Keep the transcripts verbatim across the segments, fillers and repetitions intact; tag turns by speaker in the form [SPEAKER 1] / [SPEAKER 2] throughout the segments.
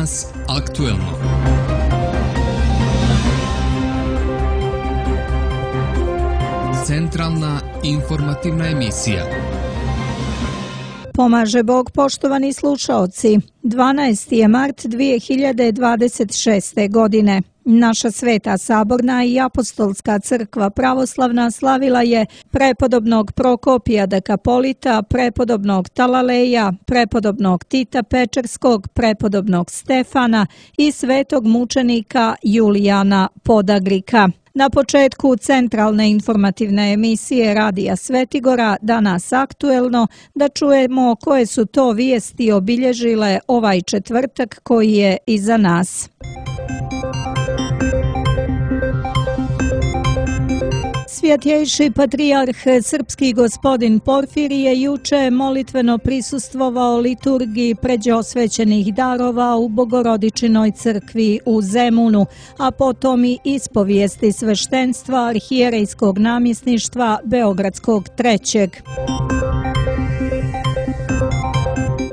[SPEAKER 1] Danas aktuelno. Centralna informativna emisija.
[SPEAKER 2] Pomaže Bog, poštovani slušaoci. dvanaesti je mart dvije hiljade dvadeset šeste. godine. Naša Sveta Saborna i Apostolska crkva pravoslavna slavila je prepodobnog Prokopija Dekapolita, prepodobnog Talaleja, prepodobnog Tita Pečerskog, prepodobnog Stefana i svetog mučenika Julijana Podagrika. Na početku centralne informativne emisije Radija Svetigora, Danas aktuelno, da čujemo koje su to vijesti obilježile ovaj četvrtak koji je iza nas. Svjetjejši patrijarh srpski gospodin Porfirije juče molitveno prisustvovao liturgiji pređeosvećenih darova u Bogorodičinoj crkvi u Zemunu, a potom i ispovijesti sveštenstva arhijerejskog namjesništva Beogradskog trećeg.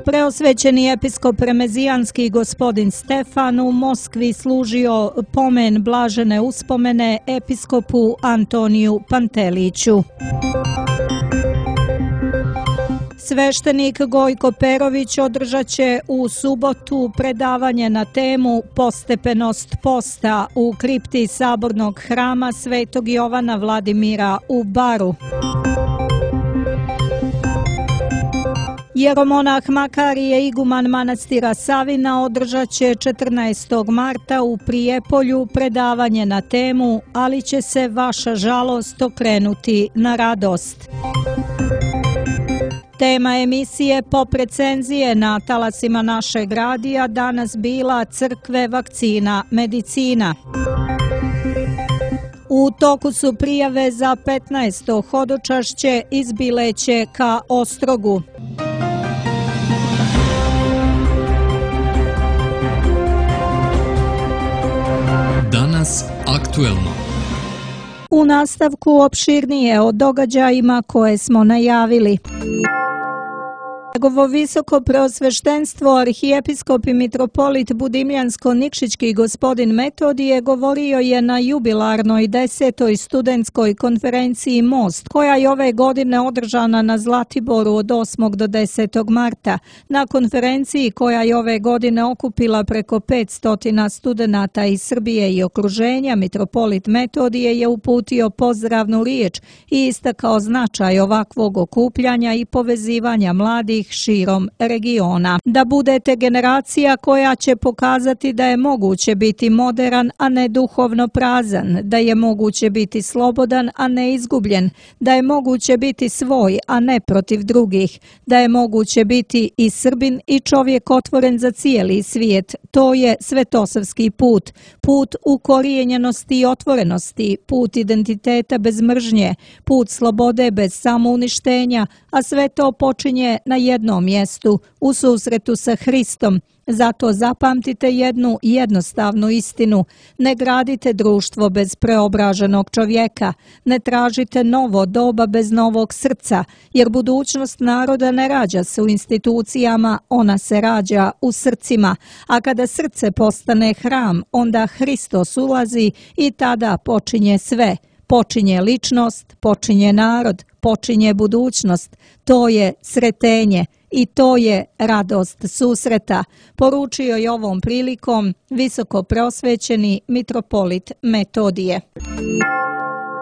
[SPEAKER 2] Preosvećeni episkop remezijanski gospodin Stefan u Moskvi služio pomen blažene uspomene episkopu Antoniju Panteliću. Sveštenik Gojko Perović održat će u subotu predavanje na temu Postepenost posta u kripti Sabornog hrama Svetog Jovana Vladimira u Baru. Jeromonah Makarije, iguman manastira Savina, održat će četrnaestog marta u Prijepolju predavanje na temu Ali će se vaša žalost okrenuti na radost. Tema emisije pop recenzije na talasima našeg radija danas bila Crkve, vakcina, medicina. U toku su prijave za petnaesto hodočašće iz Bileće ka Ostrogu.
[SPEAKER 1] Danas aktuelno.
[SPEAKER 2] U nastavku opširnije o događajima koje smo najavili. Njegovo visoko preosveštenstvo arhijepiskop i mitropolit Budimljansko-Nikšićki gospodin Metodije govorio je na jubilarnoj desetoj studentskoj konferenciji Most, koja je ove godine održana na Zlatiboru od osmog do desetog marta. Na konferenciji koja je ove godine okupila preko petsto studenata iz Srbije i okruženja, mitropolit Metodije je uputio pozdravnu riječ i istakao značaj ovakvog okupljanja i povezivanja mladih širom regiona. Da budete generacija koja će pokazati da je moguće biti moderan, a ne duhovno prazan, da je moguće biti slobodan, a ne izgubljen, da je moguće biti svoj, a ne protiv drugih, da je moguće biti i Srbin i čovjek otvoren za cijeli svijet. To je svetosavski put, put ukorijenjenosti i otvorenosti, put identiteta bez mržnje, put slobode bez samouništenja, a sve to počinje na jednom mjestu, u susretu sa Hristom. Zato zapamtite jednu jednostavnu istinu. Ne gradite društvo bez preobraženog čovjeka. Ne tražite novo doba bez novog srca, jer budućnost naroda ne rađa se u institucijama, ona se rađa u srcima. A kada srce postane hram, onda Hristos ulazi i tada počinje sve. Počinje ličnost, počinje narod, počinje budućnost. To je sretenje i to je radost susreta, poručio je ovom prilikom visoko preosvećeni mitropolit Metodije.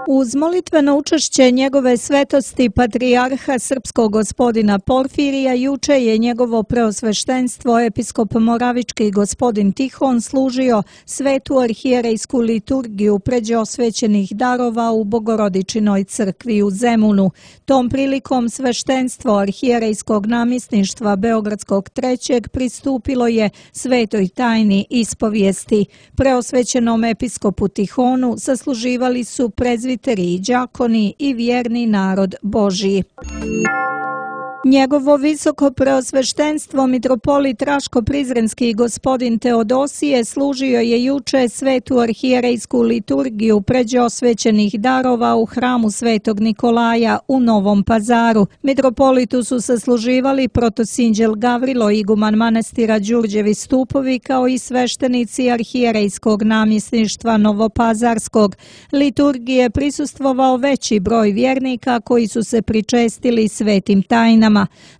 [SPEAKER 2] Uz molitveno učešće njegove svetosti patrijarha srpskog gospodina Porfirija juče je njegovo preosveštenstvo episkop moravički gospodin Tihon služio svetu arhijerejsku liturgiju pređeosvećenih darova u Bogorodičinoj crkvi u Zemunu. Tom prilikom sveštenstvo arhijerejskog namjesništva Beogradskog trećeg pristupilo je svetoj tajni ispovijesti. Preosvećenom episkopu Tihonu sasluživali su prezviteri, đakoni i vjerni narod Božji. Njegovo visoko preosveštenstvo mitropolit Raško-Prizrenski gospodin Teodosije služio je juče svetu arhijerejsku liturgiju pređe osvećenih darova u hramu Svetog Nikolaja u Novom Pazaru. Mitropolitu su sasluživali protosinđel Gavrilo, iguman manastira Đurđevi stupovi, kao i sveštenici arhijerejskog namjesništva Novopazarskog. Liturgije prisustvovao veći broj vjernika koji su se pričestili svetim tajnama.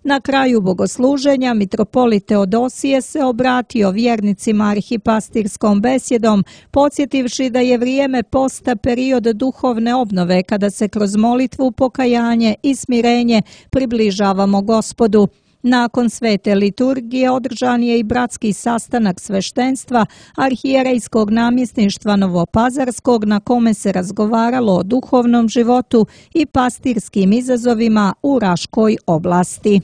[SPEAKER 2] Na kraju bogosluženja mitropolit Teodosije se obratio vjernicima arhipastirskom besjedom, podsjetivši da je vrijeme posta period duhovne obnove kada se kroz molitvu, pokajanje i smirenje približavamo Gospodu. Nakon svete liturgije održan je i bratski sastanak sveštenstva arhijerejskog namjesništva Novopazarskog, na kome se razgovaralo o duhovnom životu i pastirskim izazovima u Raškoj oblasti.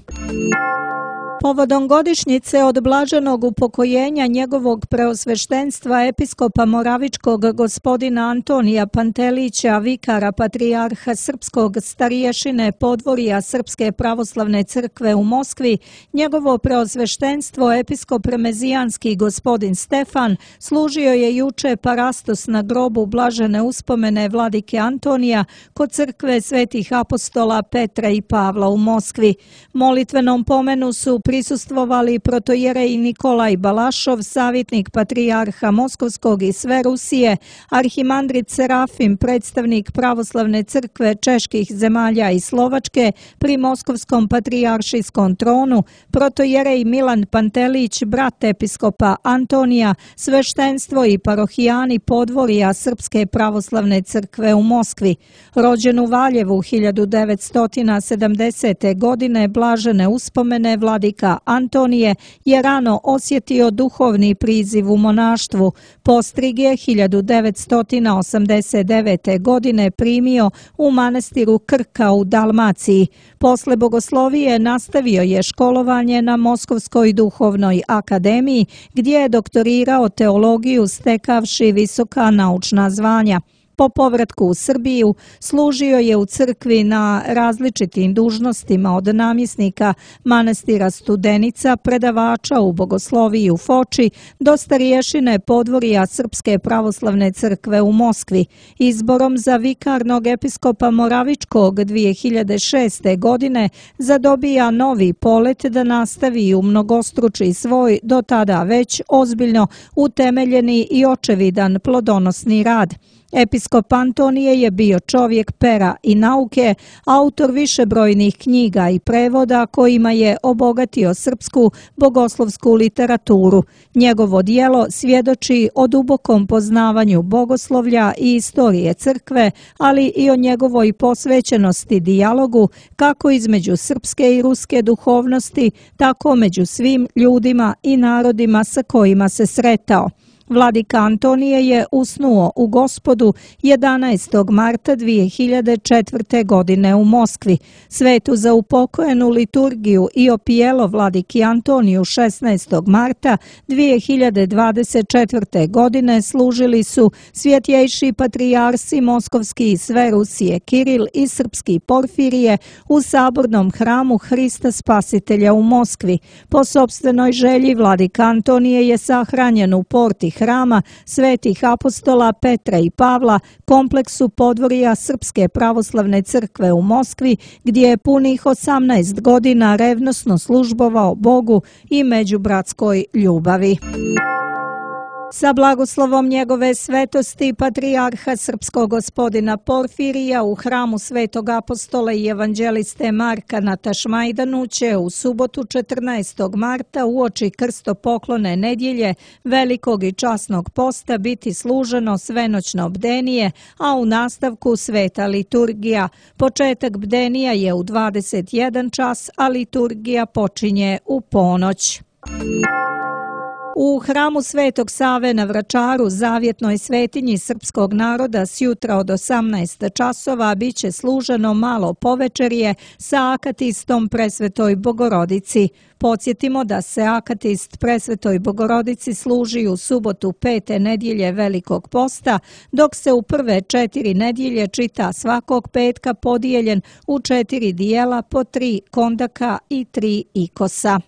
[SPEAKER 2] Povodom godišnjice od blaženog upokojenja njegovog preosveštenstva episkopa Moravičkog gospodina Antonija Pantelića, vikara patrijarha srpskog, stariješine podvorija Srpske pravoslavne crkve u Moskvi, njegovo preosveštenstvo episkop remezijanski gospodin Stefan služio je juče parastos na grobu blažene uspomene vladike Antonija kod crkve svetih apostola Petra i Pavla u Moskvi. Molitvenom pomenu su prisustvovali protojerej Nikolaj Balašov, savjetnik patrijarha Moskovskog i sve Rusije, arhimandrit Serafim, predstavnik pravoslavne crkve čeških zemalja i Slovačke pri Moskovskom patrijaršijskom tronu, protojerej Milan Pantelić, brat episkopa Antonija, sveštenstvo i parohijani podvorija Srpske pravoslavne crkve u Moskvi. Rođen u Valjevu hiljadu devetsto sedamdesete. godine, blažene uspomene vladika Antonije je rano osjetio duhovni priziv u monaštvu. Postrig je hiljadu devetsto osamdeset devete. godine primio u manastiru Krka u Dalmaciji. Posle bogoslovije nastavio je školovanje na Moskovskoj duhovnoj akademiji, gdje je doktorirao teologiju stekavši visoka naučna zvanja. Po povratku u Srbiju služio je u crkvi na različitim dužnostima, od namjesnika manastira Studenica, predavača u bogosloviji u Foči do stariješine podvorija Srpske pravoslavne crkve u Moskvi. Izborom za vikarnog episkopa Moravičkog dvije hiljade šeste. godine zadobija novi polet da nastavi u mnogostruči svoj do tada već ozbiljno utemeljeni i očevidan plodonosni rad. Episkop Antonije je bio čovjek pera i nauke, autor višebrojnih knjiga i prevoda kojima je obogatio srpsku bogoslovsku literaturu. Njegovo djelo svjedoči o dubokom poznavanju bogoslovlja i istorije crkve, ali i o njegovoj posvećenosti dijalogu kako između srpske i ruske duhovnosti, tako među svim ljudima i narodima sa kojima se sretao. Vladika Antonije je usnuo u Gospodu jedanaestog marta dvije hiljade četvrte. godine u Moskvi. Svetu za upokojenu liturgiju i opijelo vladiki Antoniju šesnaestog marta dvije hiljade dvadeset četvrte. godine služili su svjetjejši patrijarsi Moskovski i sve Rusije Kiril i srpski Porfirije u sabornom hramu Hrista Spasitelja u Moskvi. Po sopstvenoj želji vladika Antonije je sahranjen u porti hrama svetih apostola Petra i Pavla, kompleksu podvorija Srpske pravoslavne crkve u Moskvi, gdje je punih osamnaest godina revnosno službovao Bogu i međubratskoj ljubavi. Sa blagoslovom njegove svetosti patrijarha srpskog gospodina Porfirija u hramu svetog apostola i evanđeliste Marka na Tašmajdanu će u subotu četrnaestog marta uoči krstopoklone nedjelje velikog i časnog posta biti služeno svenoćno bdenije, a u nastavku sveta liturgija. Početak bdenija je u dvadeset jedan čas, a liturgija počinje u ponoć. U hramu Svetog Save na Vračaru, zavjetnoj svetinji srpskog naroda, s jutra od osamnaest časova biće služeno malo povečerje sa akatistom Presvetoj Bogorodici. Podsjetimo da se akatist Presvetoj Bogorodici služi u subotu pete nedjelje Velikog posta, dok se u prve četiri nedjelje čita svakog petka podijeljen u četiri dijela po tri kondaka i tri ikosa.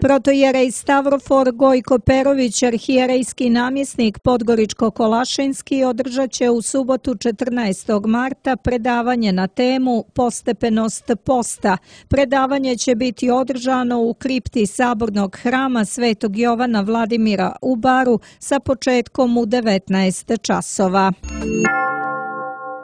[SPEAKER 2] Protojerej Stavrofor Gojko Perović, arhijerejski namjesnik Podgoričko-Kolašinski, održat će u subotu četrnaestog marta predavanje na temu Postepenost posta. Predavanje će biti održano u kripti Sabornog hrama Svetog Jovana Vladimira u Baru sa početkom u devetnaest časova.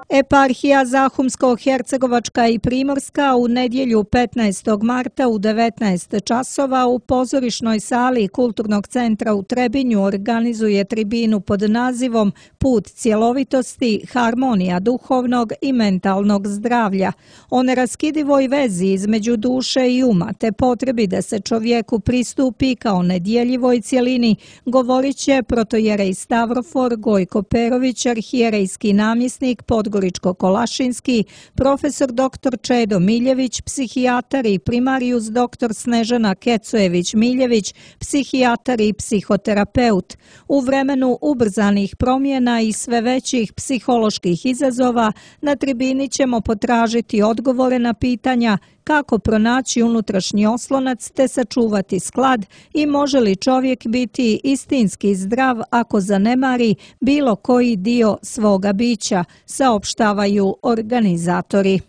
[SPEAKER 2] Eparhija Zahumsko-Hercegovačka i Primorska u nedjelju petnaestog marta u devetnaest časova u pozorišnoj sali Kulturnog centra u Trebinju organizuje tribinu pod nazivom Put cjelovitosti, harmonija duhovnog i mentalnog zdravlja, o neraskidivoj vezi između duše i uma te potrebi da se čovjeku pristupi kao nedjeljivoj cjelini, govorit će protojerej Stavrofor Gojko Perović, arhijerejski namjesnik Podgoričko-Kolašinski, profesor doktor Čedo Miljević, psihijatar i primarijus doktor Snežana Kecojević-Miljević, psihijatar i psihoterapeut. U vremenu ubrzanih promjena i sve većih psiholoških izazova na tribini ćemo potražiti odgovore na pitanja kako pronaći unutrašnji oslonac te sačuvati sklad i može li čovjek biti istinski zdrav ako zanemari bilo koji dio svoga bića, saopštavaju organizatori.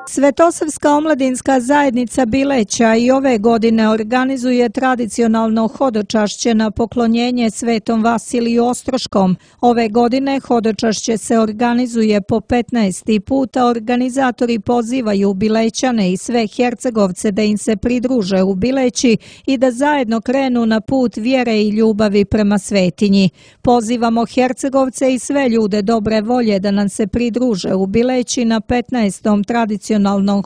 [SPEAKER 2] Svetosavska omladinska zajednica Bileća i ove godine organizuje tradicionalno hodočašće na poklonjenje Svetom Vasiliju Ostroškom. Ove godine hodočašće se organizuje po petnaesti puta. Organizatori pozivaju Bilećane i sve Hercegovce da im se pridruže u Bileći i da zajedno krenu na put vjere i ljubavi prema svetinji. Pozivamo Hercegovce i sve ljude dobre volje da nam se pridruže u Bileći na petnaestom tradicionalnom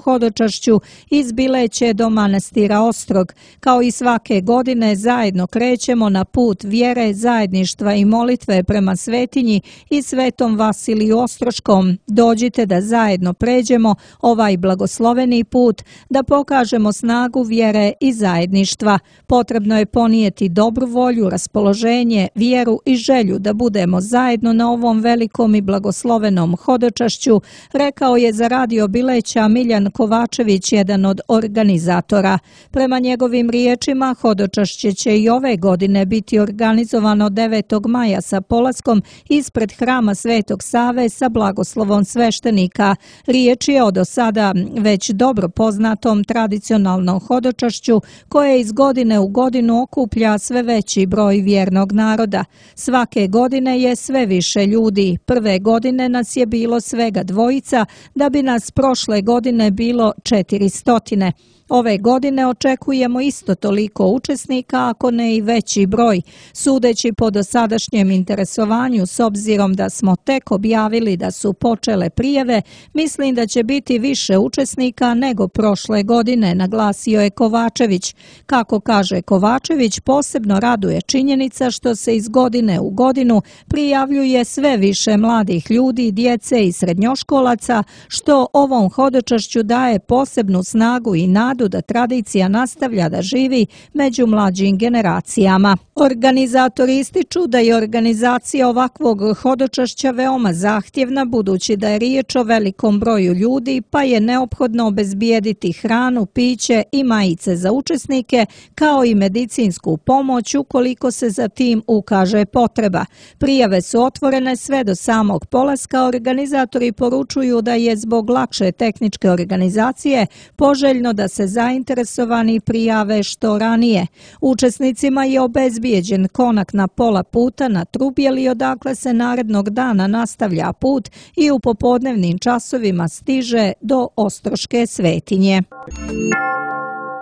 [SPEAKER 2] hodočašću iz Bileće do manastira Ostrog. Kao i svake godine zajedno krećemo na put vjere, zajedništva i molitve prema svetinji i Svetom Vasiliju Ostroškom. Dođite da zajedno pređemo ovaj blagosloveni put, da pokažemo snagu vjere i zajedništva. Potrebno je ponijeti dobru volju, raspoloženje, vjeru i želju da budemo zajedno na ovom velikom i blagoslovenom hodočašću, rekao je za Radio Bileća Miljan Kovačević, jedan od organizatora. Prema njegovim riječima, hodočašće će i ove godine biti organizovano devetog maja sa polaskom ispred hrama Svetog Save sa blagoslovom sveštenika. Riječ je o do sada već dobro poznatom tradicionalnom hodočašću koje iz godine u godinu okuplja sve veći broj vjernog naroda. Svake godine je sve više ljudi. Prve godine nas je bilo svega dvojica, da bi nas prošle godine bilo četiri stotine. Ove godine očekujemo isto toliko učesnika, ako ne i veći broj. Sudeći po dosadašnjem interesovanju, s obzirom da smo tek objavili da su počele prijave, mislim da će biti više učesnika nego prošle godine, naglasio je Kovačević. Kako kaže Kovačević, posebno raduje činjenica što se iz godine u godinu prijavljuje sve više mladih ljudi, djece i srednjoškolaca, što ovom hodočašću daje posebnu snagu i nadu da tradicija nastavlja da živi među mlađim generacijama. Organizatori ističu da je organizacija ovakvog hodočašća veoma zahtjevna, budući da je riječ o velikom broju ljudi, pa je neophodno obezbijediti hranu, piće i majice za učesnike, kao i medicinsku pomoć ukoliko se za tim ukaže potreba. Prijave su otvorene sve do samog polaska. Organizatori poručuju da je zbog lakše tehničke organizacije poželjno da se zainteresovani prijave što ranije. Učesnicima je obezbijeđen konak na pola puta na Trubjeli, odakle se narednog dana nastavlja put i u popodnevnim časovima stiže do Ostroške svetinje.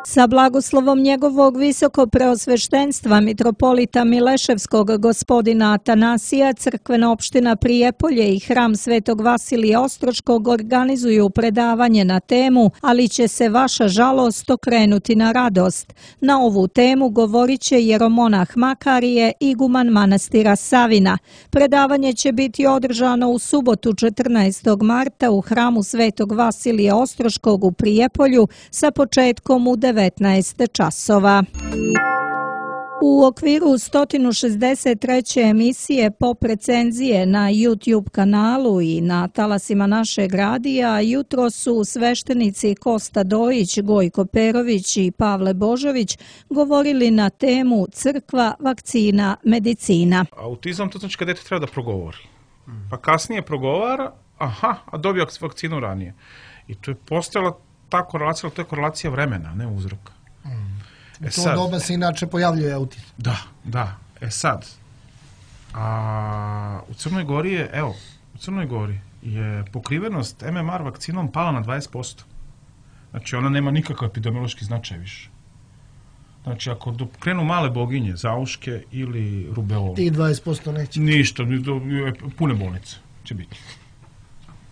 [SPEAKER 2] Sa blagoslovom njegovog visoko preosveštenstva mitropolita Mileševskog gospodina Atanasija, crkvena opština Prijepolje i hram Svetog Vasilija Ostroškog organizuju predavanje na temu Ali će se vaša žalost okrenuti na radost. Na ovu temu govorit će jeromonah Makarije, iguman manastira Savina. Predavanje će biti održano u subotu četrnaestog marta u hramu Svetog Vasilija Ostroškog u Prijepolju sa početkom u devetnaest časova. U okviru sto šezdeset treće emisije Pop recenzije na YouTube kanalu i na talasima našeg radija jutro su sveštenici Kosta Dojić, Gojko Perović i Pavle Božović govorili na temu Crkva, vakcina, medicina.
[SPEAKER 3] Autizam to znači kad dete treba da progovori. Pa kasnije progovara, aha, a dobio vakcinu ranije. I to je postojala ta korelacija, ali to je korelacija vremena, ne uzroka.
[SPEAKER 4] Mm.
[SPEAKER 3] E
[SPEAKER 4] U to
[SPEAKER 3] sad,
[SPEAKER 4] doba se inače pojavljuje autizam.
[SPEAKER 3] Da, da. E sad, a, u Crnoj Gori je, evo, u Crnoj Gori je pokrivenost M M R vakcinom pala na dvadeset posto. Znači, ona nema nikakav epidemiološki značaj više. Znači, ako krenu male boginje, zauške ili rubeolu...
[SPEAKER 4] Ti dvadeset posto neće.
[SPEAKER 3] Ništa, pune bolnice će biti.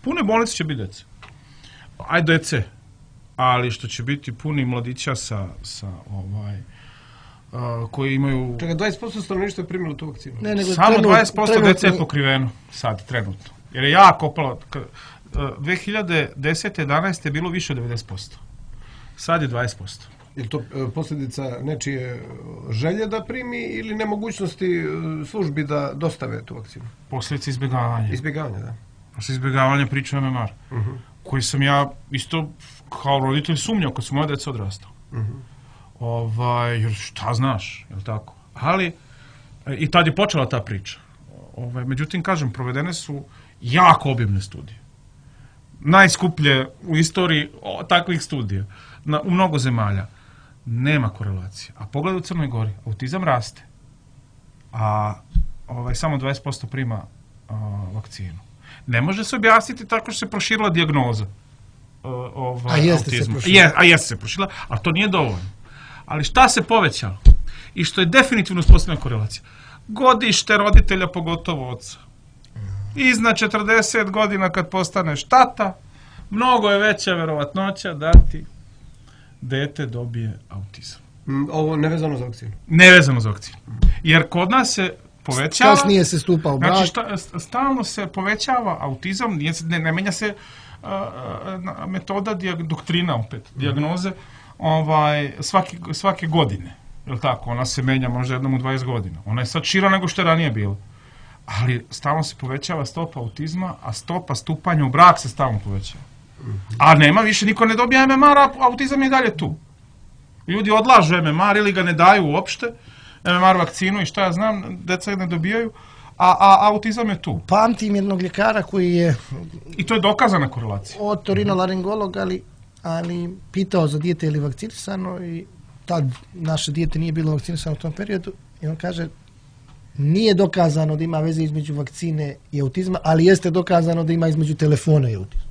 [SPEAKER 3] Pune bolnice će biti dece. Ajde dece. Ali što će biti puni mladića sa, sa ovaj, uh, koji imaju...
[SPEAKER 5] Čekaj, dvadeset posto stanovništva je primilo tu vakcinu.
[SPEAKER 4] Ne, nego
[SPEAKER 3] Samo
[SPEAKER 4] trenut,
[SPEAKER 3] dvadeset posto
[SPEAKER 4] trenutno...
[SPEAKER 3] dece je pokriveno sad, trenutno. Jer je jako opalo. dve hiljade desete jedanaeste je bilo više od devedeset posto. Sad je dvadeset posto.
[SPEAKER 5] Je li to e, posljedica nečije želje da primi ili nemogućnosti e, službi da dostave tu vakcinu?
[SPEAKER 3] Posljedica izbjegavanja.
[SPEAKER 5] Izbjegavanja, da.
[SPEAKER 3] Posljedica izbjegavanja priča o M M R. Uh-huh. Koji sam ja isto kao roditelj sumnjao kad su moje djeca odrastao. Uh-huh. Ovaj, jer šta znaš, je li tako? Ali, i tad je počela ta priča. Ovaj, međutim, kažem, provedene su jako obimne studije. Najskuplje u istoriji o, takvih studija. Na, u mnogo zemalja. Nema korelacije. A pogledaj u Crnoj Gori, autizam raste. A ovaj, samo dvadeset posto prima a, vakcinu. Ne može se objasniti tako što se proširila dijagnoza uh, ovaj,
[SPEAKER 4] a jeste
[SPEAKER 3] autizma.
[SPEAKER 4] Se proširila.
[SPEAKER 3] Je, a jeste se proširila, ali to nije dovoljno. Ali šta se povećalo? I što je definitivno uspostavljena korelacija? Godište roditelja, pogotovo oca. Iznad četrdeset godina kad postaneš tata, mnogo je veća verovatnoća da ti dete dobije autizam.
[SPEAKER 5] Mm, ovo nevezano za vakcinu?
[SPEAKER 3] Nevezano za vakcinu. Jer kod nas se povećava...
[SPEAKER 4] Kasnije se stupa u brak.
[SPEAKER 3] Znači, šta, stalno se povećava autizam, ne, ne menja se uh, uh, metoda, dijag, doktrina opet, dijagnoze, ovaj, svaki, svake godine. Je li tako? Ona se menja možda jednom u dvadeset godina. Ona je sad šira nego što je ranije bilo. Ali stalno se povećava stopa autizma, a stopa stupanja u brak se stalno povećava. A nema više, niko ne dobija M M R, a autizam je dalje tu. Ljudi odlažu M M R ili ga ne daju uopšte, M M R vakcinu i šta ja znam, deca ne dobijaju, a, a autizam je tu.
[SPEAKER 4] Pamtim jednog ljekara koji je...
[SPEAKER 3] I to je dokazana korelacija.
[SPEAKER 4] Otorinolaringolog, ali, ali pitao za dijete ili vakcinisano i tad naše dijete nije bilo vakcinisano u tom periodu i on kaže nije dokazano da ima veze između vakcine i autizma, ali jeste dokazano da ima između telefona i autizma.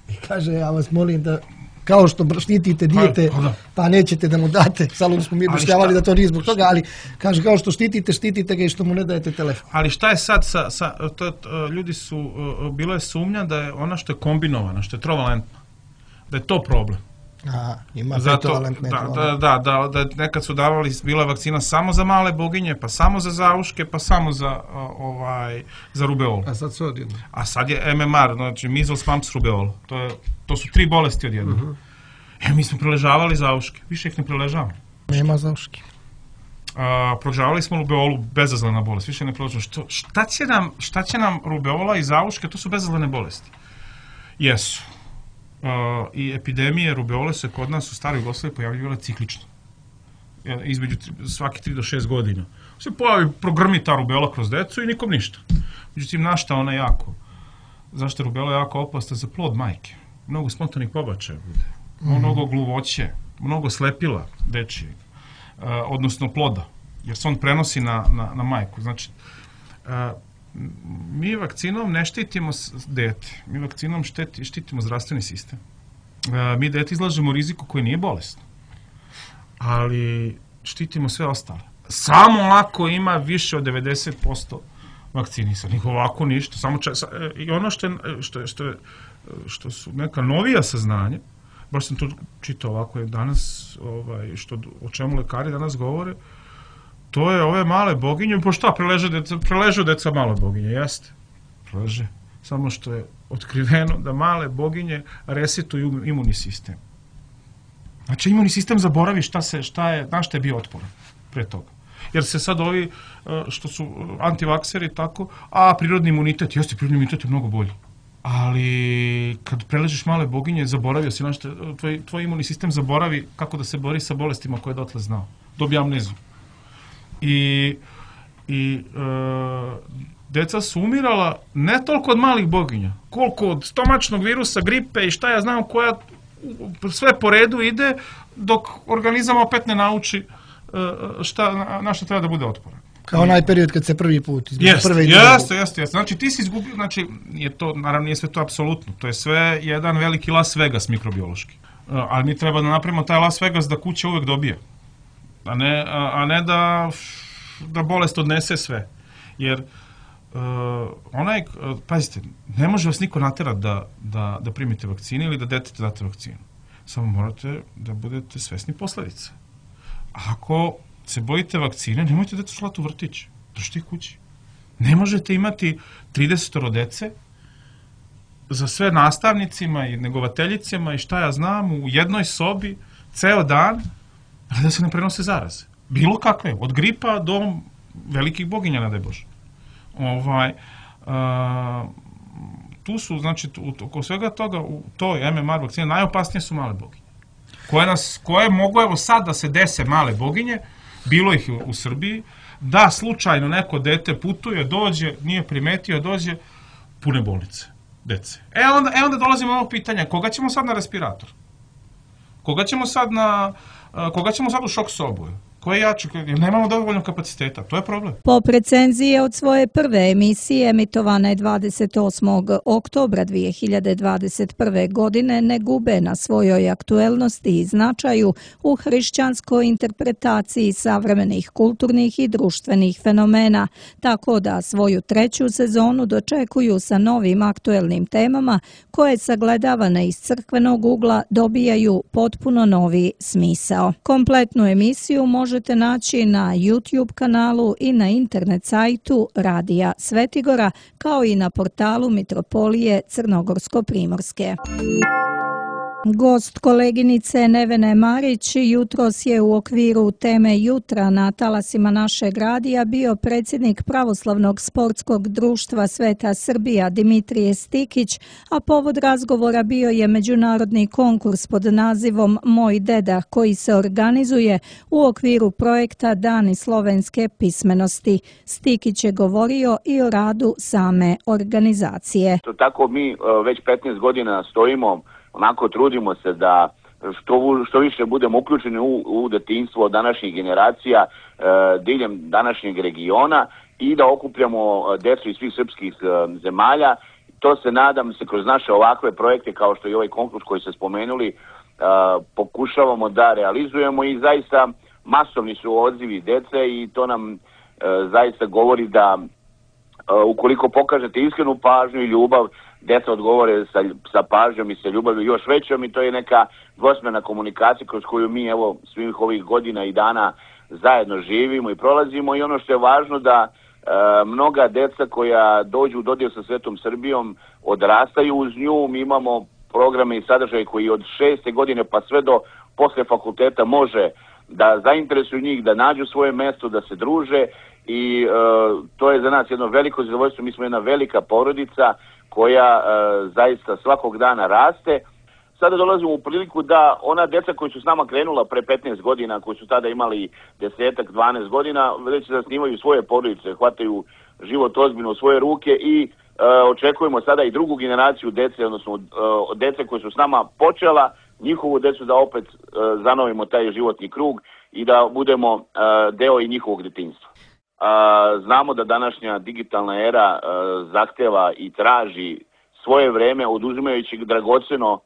[SPEAKER 4] I kaže, ja vas molim da kao što štitite dijete, pa, pa nećete da mu date, saludno smo mi objašnjavali da to nije zbog toga, ali kaže, kao što štitite, štitite ga i što mu ne dajete telefon.
[SPEAKER 3] Ali šta je sad sa, sa to, to, ljudi su, bilo je sumnja da je ona što je kombinovana, što je trovalentna, da je to problem.
[SPEAKER 4] Aha, ima
[SPEAKER 3] petovalentne. Da, da, da, da, da, nekad su davali, bila je vakcina samo za male boginje, pa samo za zauške, pa samo za, ovaj, za rubeolu.
[SPEAKER 5] A sad sve odjedno.
[SPEAKER 3] A sad je M M R, znači measles, mumps, rubeola. To, je, to su tri bolesti odjedno. Uh-huh. E, mi smo preležavali zauške, više ih ne preležavamo.
[SPEAKER 4] Nema zauške.
[SPEAKER 3] Uh, preležavali smo rubeolu, bezazlena bolest, više ne preležavamo. Što, šta, će nam, šta će nam rubeola i zauške, to su bezazlene bolesti. Jesu. Uh, i epidemije rubeole se kod nas u staroj Jugoslaviji pojavljivale ciklično. Između svaki tri do šest godina. Se pojavi, progrmi ta rubeola kroz decu i nikom ništa. Međutim, našta ona jako? Zašto je rubeola jako opasna za plod majke? Mnogo spontanih pobačaja bude. Mm-hmm. Mnogo gluvoće, mnogo slepila dečije, uh, odnosno ploda, jer se on prenosi na, na, na majku. Znači, uh, mi vakcinom ne štitimo dete, mi vakcinom štiti, štitimo zdravstveni sistem. E, mi dete izlažemo riziku koji nije bolest. ali štitimo sve ostale. Samo ako ima više od devedeset posto vakcinisanih, ovako ništa. Samo čas, i ono što, je, što, što, je, što su neka novija saznanja, baš sam to čitao ovako je danas, ovaj, što, o čemu lekari danas govore, to je ove male boginje, po šta preležu deca, preležu deca male boginje, jeste, preleže, samo što je otkriveno da male boginje resetuju imunni sistem. Znači imunni sistem zaboravi šta, se, šta je, na šta je bio otporan pre toga. Jer se sad ovi što su antivakseri tako, a prirodni imunitet, jeste, prirodni imunitet je mnogo bolji. Ali kad preležeš male boginje, zaboravio si, znači, tvoj, tvoj imunni sistem zaboravi kako da se bori sa bolestima koje je dotle znao. Dobije amneziju. I, i e, deca su umirala ne toliko od malih boginja, koliko od stomačnog virusa, gripe i šta ja znam koja sve po redu ide dok organizam opet ne nauči šta, na šta treba da bude otporan.
[SPEAKER 4] Kao onaj period kad se prvi put između
[SPEAKER 3] jeste,
[SPEAKER 4] prve i
[SPEAKER 3] jeste, jeste, jeste. Znači ti si izgubio, znači je to, naravno nije sve to apsolutno, to je sve jedan veliki Las Vegas mikrobiološki. Ali mi treba da napravimo taj Las Vegas da kuća uvek dobije. A ne, a, a ne da, da bolest odnese sve. Jer uh, onaj, uh, pazite, ne može vas niko naterati da, da, da primite vakcine ili da detetu date vakcinu. Samo morate da budete svesni posledica. Ako se bojite vakcine, nemojte decu slati u vrtić. Držite ih kući. Ne možete imati trideset dece za sve nastavnicima i negovateljicama i šta ja znam u jednoj sobi ceo dan, ali da se ne prenose zaraze. Bilo kakve, od gripa do velikih boginja, nadaj Bože. Ovaj, a, tu su, znači, oko svega toga, u toj em em er vakcine, najopasnije su male boginje. Koje, nas, koje mogu, evo sad da se dese male boginje, bilo ih u, u Srbiji, da slučajno neko dete putuje, dođe, nije primetio, dođe, pune bolnice, dece. E onda, e onda dolazimo na ovo pitanja, koga ćemo sad na respirator? Koga ćemo sad na, koga ćemo sad u šok sobu? Ko je jači? Jer nemamo dovoljno kapaciteta, to je problem.
[SPEAKER 2] Po recenzije od svoje prve emisije emitovane dvadeset osmog oktobra dvije hiljade dvadeset prve. godine ne gube na svojoj aktuelnosti i značaju u hrišćanskoj interpretaciji savremenih kulturnih i društvenih fenomena, tako da svoju treću sezonu dočekuju sa novim aktuelnim temama koje sagledavane iz crkvenog ugla dobijaju potpuno novi smisao. Kompletnu emisiju može možete naći na YouTube kanalu i na internet sajtu Radija Svetigora, kao i na portalu Mitropolije Crnogorsko-Primorske. Gost koleginice Nevene Marić jutros je u okviru teme Jutra na talasima našeg radija bio predsjednik Pravoslavnog sportskog društva Sveta Srbija Dimitrije Stikić, a povod razgovora bio je međunarodni konkurs pod nazivom Moj deda koji se organizuje u okviru projekta Dani slovenske pismenosti. Stikić je govorio i o radu same organizacije.
[SPEAKER 6] Tako mi već petnaest godina stojimo, onako trudimo se da što, što više budemo uključeni u, u detinjstvo današnjih generacija e, diljem današnjeg regiona i da okupljamo decu iz svih srpskih e, zemalja. To se nadam se kroz naše ovakve projekte kao što je ovaj konkurs koji ste spomenuli e, pokušavamo da realizujemo i zaista masovni su odzivi dece i to nam e, zaista govori da e, ukoliko pokažete iskrenu pažnju i ljubav, deca odgovore sa, sa pažnjom i sa ljubavlju još većom i to je neka dvosmjerna komunikacija kroz koju mi evo svih ovih godina i dana zajedno živimo i prolazimo i ono što je važno da e, mnoga deca koja dođu u dodir sa Svetom Srbijom odrastaju uz nju, mi imamo programe i sadržaje koji od šeste godine pa sve do posle fakulteta može da zainteresuju njih, da nađu svoje mesto, da se druže i e, to je za nas jedno veliko zadovoljstvo, mi smo jedna velika porodica koja e, zaista svakog dana raste. Sada dolazimo u priliku da ona deca koji su s nama krenula pre petnaest godina, koji su tada imali desetak, dvanaest godina, već zasnivaju svoje porodice, hvataju život ozbiljno u svoje ruke i e, očekujemo sada i drugu generaciju dece, odnosno e, dece koji su s nama počela, njihovu decu da opet e, zanovimo taj životni krug i da budemo e, deo i njihovog detinjstva. A, znamo da današnja digitalna era a, zahteva i traži svoje vreme oduzimajući dragoceno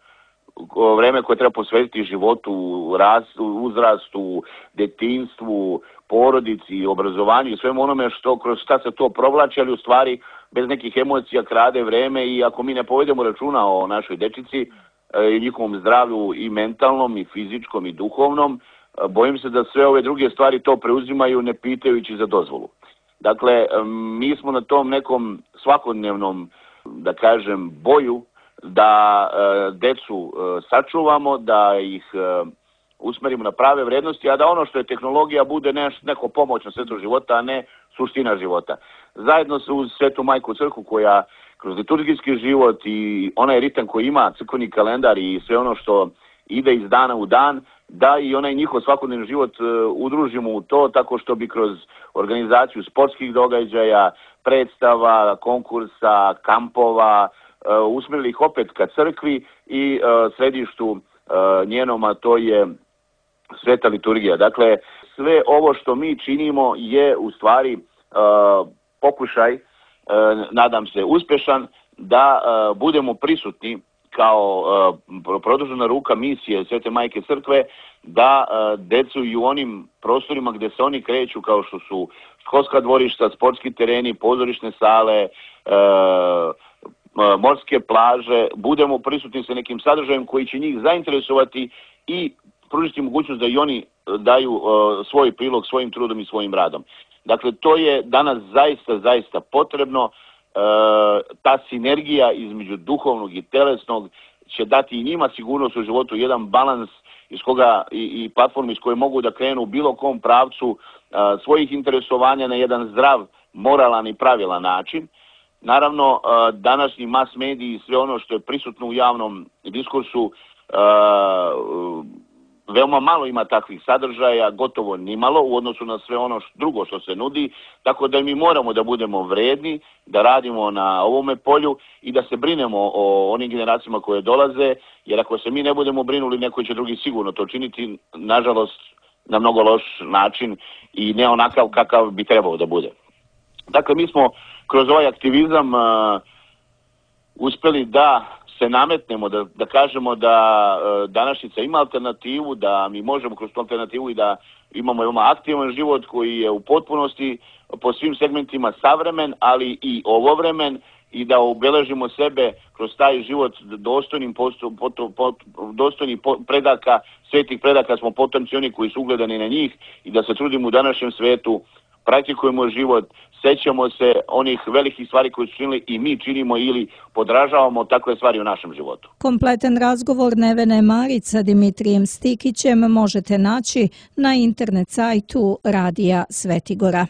[SPEAKER 6] vreme koje treba posvetiti životu, rastu, uzrastu, detinjstvu, porodici, obrazovanju i svemu onome što kroz šta se to provlači, ali u stvari bez nekih emocija krade vreme i ako mi ne povedemo računa o našoj dečici i njihovom zdravlju i mentalnom i fizičkom i duhovnom, bojim se da sve ove druge stvari to preuzimaju ne pitajući za dozvolu. Dakle, mi smo na tom nekom svakodnevnom, da kažem, boju da e, decu e, sačuvamo, da ih e, usmerimo na prave vrednosti, a da ono što je tehnologija bude neš, neko pomoćno svetu života, a ne suština života. Zajedno se uz Svetu Majku Crkvu koja kroz liturgijski život i onaj ritam koji ima crkveni kalendar i sve ono što ide iz dana u dan, da i onaj njihov svakodnevni život e, udružimo u to tako što bi kroz organizaciju sportskih događaja, predstava, konkursa, kampova, e, usmjerili ih opet ka crkvi i e, središtu e, njenom, a to je Sveta liturgija. Dakle, sve ovo što mi činimo je u stvari e, pokušaj, e, nadam se uspešan, da e, budemo prisutni kao uh, produžena ruka misije Svete Majke Crkve, da uh, decu i u onim prostorima gdje se oni kreću, kao što su školska dvorišta, sportski tereni, pozorišne sale, uh, uh, morske plaže, budemo prisutni sa nekim sadržajem koji će njih zainteresovati i pružiti mogućnost da i oni daju uh, svoj prilog svojim trudom i svojim radom. Dakle, to je danas zaista, zaista potrebno. E, ta sinergija između duhovnog i telesnog će dati i njima sigurnost u životu, jedan balans iz koga i, i platformu iz koje mogu da krenu u bilo kom pravcu a, svojih interesovanja na jedan zdrav, moralan i pravilan način. Naravno, a, današnji mass mediji i sve ono što je prisutno u javnom diskursu, a, veoma malo ima takvih sadržaja, gotovo nimalo u odnosu na sve ono drugo što se nudi, tako da mi moramo da budemo vredni, da radimo na ovome polju i da se brinemo o onim generacijama koje dolaze, jer ako se mi ne budemo brinuli, neko će drugi sigurno to činiti, nažalost, na mnogo loš način i ne onakav kakav bi trebao da bude. Dakle, mi smo kroz ovaj aktivizam uh, uspeli da se nametnemo, da, da kažemo da e, današnjica ima alternativu, da mi možemo kroz tu alternativu i da imamo veoma aktivan život koji je u potpunosti po svim segmentima savremen, ali i ovovremen i da obeležimo sebe kroz taj život dostojnim, posto, poto, pot, dostojnim po, predaka, svetih predaka smo potomci oni koji su ugledani na njih i da se trudimo u današnjem svetu, praktikujemo život, sećamo se onih velikih stvari koje su činili i mi činimo ili podražavamo takve stvari u našem životu.
[SPEAKER 2] Kompletan razgovor Nevene Marić sa Dimitrijem Stikićem možete naći na internet sajtu Radija Svetigora.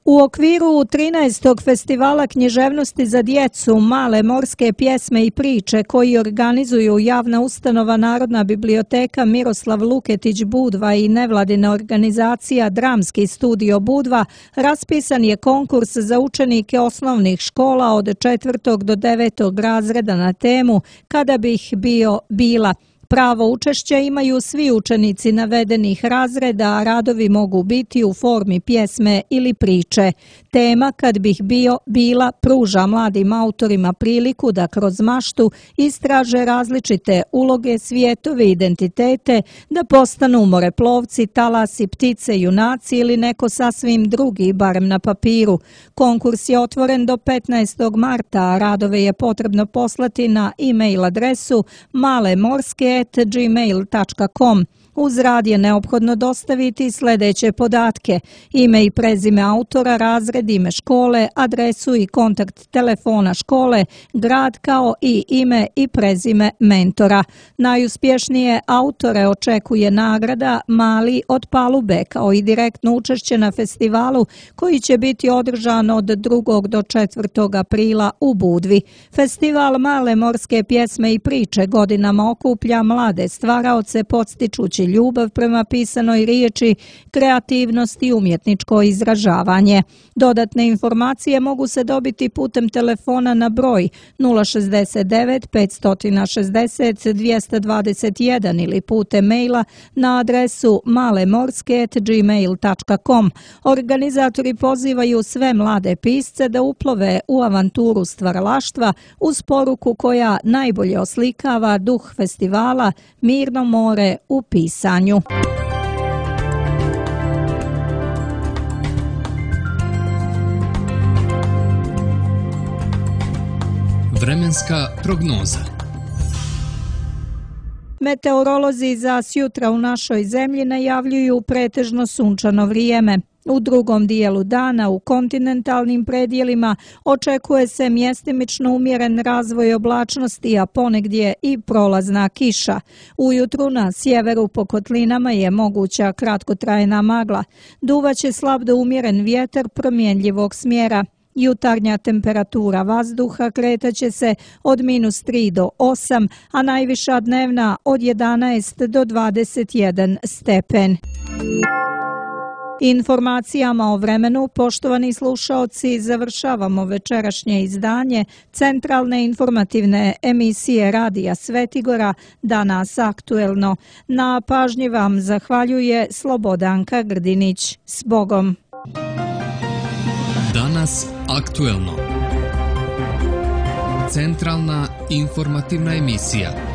[SPEAKER 2] U okviru trinaestog festivala književnosti za djecu Male morske pjesme i priče koji organizuju javna ustanova Narodna biblioteka Miroslav Luketić Budva i nevladina organizacija Dramski studio Budva, raspisan je konkurs za učenike osnovnih škola od četvrtog do devetog razreda na temu Kada bih bio bila. Pravo učešća imaju svi učenici navedenih razreda, a radovi mogu biti u formi pjesme ili priče. Tema Kad bih bio bila pruža mladim autorima priliku da kroz maštu istraže različite uloge, svjetove, identitete, da postanu moreplovci, talasi, ptice, junaci ili neko sasvim drugi, barem na papiru. Konkurs je otvoren do petnaestog marta, a radove je potrebno poslati na e-mail adresu malemorske at gmail tačka com. Uz rad je neophodno dostaviti sljedeće podatke: ime i prezime autora, razred, ime škole, adresu i kontakt telefona škole, grad kao i ime i prezime mentora. Najuspješnije autore očekuje nagrada Mali od palube kao i direktno učešće na festivalu koji će biti održan od drugog do četvrtog aprila u Budvi. Festival Male morske pjesme i priče godinama okuplja mlade stvaraoce podstičući ljubav prema pisanoj riječi, kreativnost i umjetničko izražavanje. Dodatne informacije mogu se dobiti putem telefona na broj nula šezdeset devet petsto šezdeset dvjesto dvadeset jedan ili putem maila na adresu malemorske at gmail tačka com. Organizatori pozivaju sve mlade pisce da uplove u avanturu stvaralaštva uz poruku koja najbolje oslikava duh festivala Mirno more u pisanju.
[SPEAKER 1] Vremenska prognoza.
[SPEAKER 2] Meteorolozi za sjutra u našoj zemlji najavljuju pretežno sunčano vrijeme. U drugom dijelu dana u kontinentalnim predjelima očekuje se mjestimično umjeren razvoj oblačnosti, a ponegdje i prolazna kiša. Ujutru na sjeveru po kotlinama je moguća kratkotrajna magla. Duvaće slab do umjeren vjetar promjenljivog smjera. Jutarnja temperatura vazduha kretaće se od minus tri do osam, a najviša dnevna od jedanaest do dvadeset jedan stepen. Informacijama o vremenu, poštovani slušaoci, završavamo večerašnje izdanje centralne informativne emisije Radija Svetigora Danas aktuelno. Na pažnji vam zahvaljuje Slobodanka Grdinić. S Bogom!
[SPEAKER 1] Danas aktuelno. Centralna informativna emisija.